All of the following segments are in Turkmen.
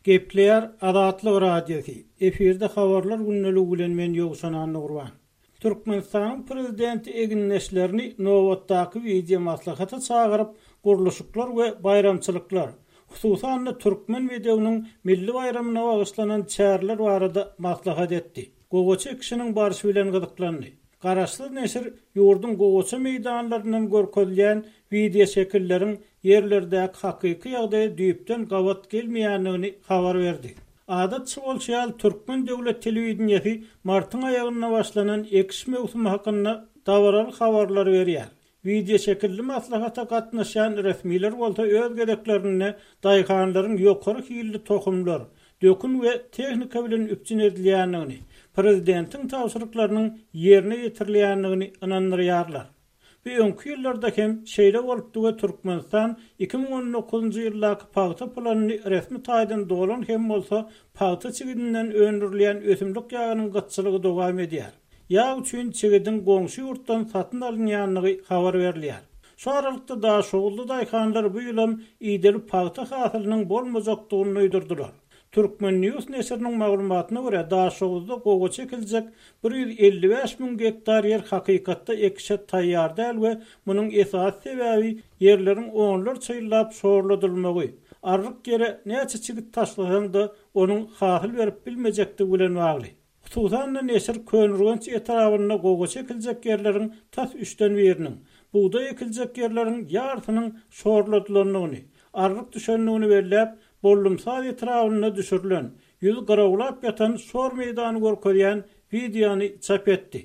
Gepleýär Azatlyk Radiosy, efirde Habarlar gündeligi bilen men Ýowşan Annagurban. Türkmenistanyň Prezidenti egindeşlerini nobatdaky wideomaslahata çagyryp, gurluşyklar we baýramçylyklar, hususan-da Türkmen bedewiniň milli baýramyna bagyşlanan çäreler barada maslahat etdi. Gowaça ekişiniň barşy bilen gyzyklandy. Garaşsyz neşir ýurduň gowaça meýdanlaryndan görkezilýän wideoşekilleriň ýerlerdäki hakyky ýagdaýa düýpden gabat gelmeýändigini habar berdi. Adatça bolşy ýaly, türkmen döwlet telewideniýesi martyň aýagynda başlanan ekiş möwsümi hakynda dabaraly habarlary berýär. Wideoşekilli maslahata gatnaşýan resmiler bolsa öz gezeklerinde daýhanlaryň ýokary hilli tohumlar, dökün we tehnika bilen üpjün edilýändigini, prezidentiň tabşyryklarynyň ýerine ýetirilýändigini ynandyrýarlar. Bu öňki ýyllarda hem şeýle bolupdy we Türkmenistan 2019-njy ýyldaky pagta planyny resmi taýdan dolan hem bolsa, pagta çigidinden öndürilýän ösümlik ýagynyň gytçylygy dowam edýär. Ýag üçin çigidiň goňşy ýurtdan satyn alynýandygy habar berilýär. Şu aralykda daşoguzly daýhanlar bu ýylam ideli pagta hasylynyň bolmajakdygyny duýdurdylar. Turkmen. News neşiriniň maglumatyna görä, Daşoguzda gowaça ekiljek 155 müň gektar ýer hakykatda ekişe taýýar däl we munuň esasy sebäbi ýerleriň onlarça ýyllap şorladylmagy, arryk ýere näçe çigit taşlasaň-da, onuň hasyl berip bilmejekdigi bilen bagly. Hususan-da, neşir Köneürgenç etrabynda gowaça ekiljek ýerleriň tas üçden biriniň, bugdaý ekiljek ýerleriň ýarysynyň şorladylandygyny, arryk düşendigini belläp, Bollumsaz etrabynda düşürilen, ýüzi gyrawlap ýatan şor meýdany görkezýän wideony çap etdi.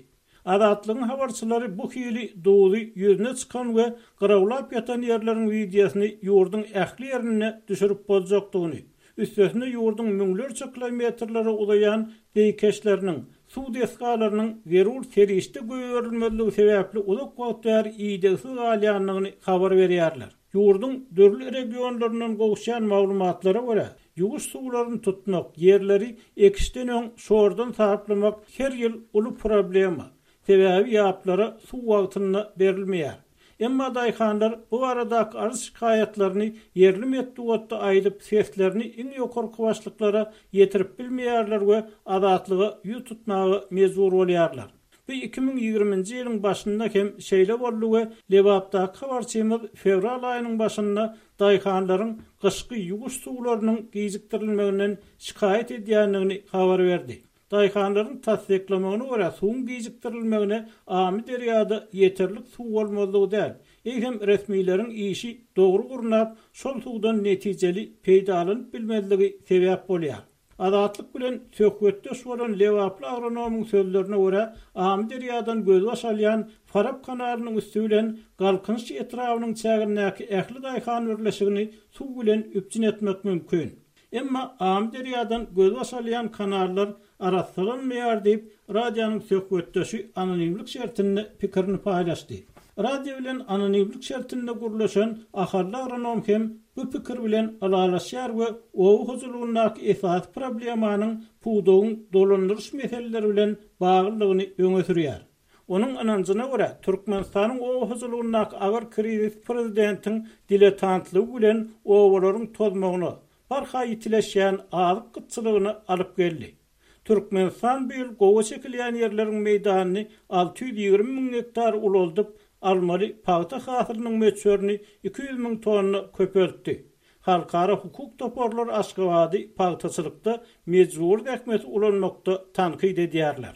Azatlygyň habarçylary bu hili duzy ýüzüne çykan we gyrawlap ýatan ýerleriň wideosyny ýurduň ähli ýerinde düşürip boljakdygyny, üstesine ýurduň müňlerçe kilometrlere uzaýan zeýkeşleriniň, suw desgalarynyň zerur serişde goýberilmezligi sebäpli uzak wagt bäri idegsiz galýandygyny habar berýärler. Ýurduň dürli regionlaryndan gowuşýan maglumatlara görä, ýuwuş suwlaryny tutmak, ýerleri ekişden öň şordan saplamak her ýyl uly problema, sebäbi ýaplara suw wagtynda berilmeýär. Emma daýhanlar bu baradaky arz-şikaýatlaryny ýerli metbugatda aýdyp, seslerini iň ýokarky başlyklara ýetirip bilmeýärler we Azatlyga ýüz tutmaga mejbur bolýarlar. Bu 2020-nji ýylyň başynda hem şeýle boldy we Lebapdaky habarçymyz fewral aýynyň başynda daýhanlaryň gyşky ýuwuş suwlarynyň gijikdirilmeginden şikaýat edýändigini habar berdi. Daýhanlaryň tassyklamagyna görä, suwuň gijikdirilmegine Amyderýada ýeterlik suw bolmazlygy däl, eýsem resmileriň işi dogry gurnap, şol suwdan netijeli peýdalanyp bilmezligi sebäp bolýar. Azatlyk bilen söhbetdeş bolan lebaply agronomyň sözlerine görä, Amyderýadan gözbaş alýan Farap kanalynyň üsti bilen Galkynyş etrabynyň çägindäki ähli daýhan birleşigini suw bilen üpjün etmek mümkin. Emma Amyderýadan gözbaş alýan kanallar arassalanmaýar diýip, radionyň söhbetdeşi anonimlik şertinde pikirini paýlaşdy. Radio bilen anonimlik şertinde gürleşen ahally agronom hem bu pikir bilen ylalaşýar we oba hojalygyndaky esasy problemanyň pudagyň dolandyryş meseleleri bilen baglydygyny öňe sürýär. Onuň ynanjyna görä, Türkmenistanyň oba hojalygyndaky agyr krizis prezidentiň diletantlygy bilen obalaryň tozmagyna, barha ýitileşýän azyk gytçylygyna alyp geldi. Türkmenistan bu ýyl gowaça ekilýän ýerleriň meýdanyny 620 müň gektar ulaldyp, almaly pagta hasylynyň möçberini 200 müň tonna köpeltdi. Halkara hukuk toparlary Aşgabady pagtaçylykda mejbury zähmeti ulanmakda tankyt edýärler.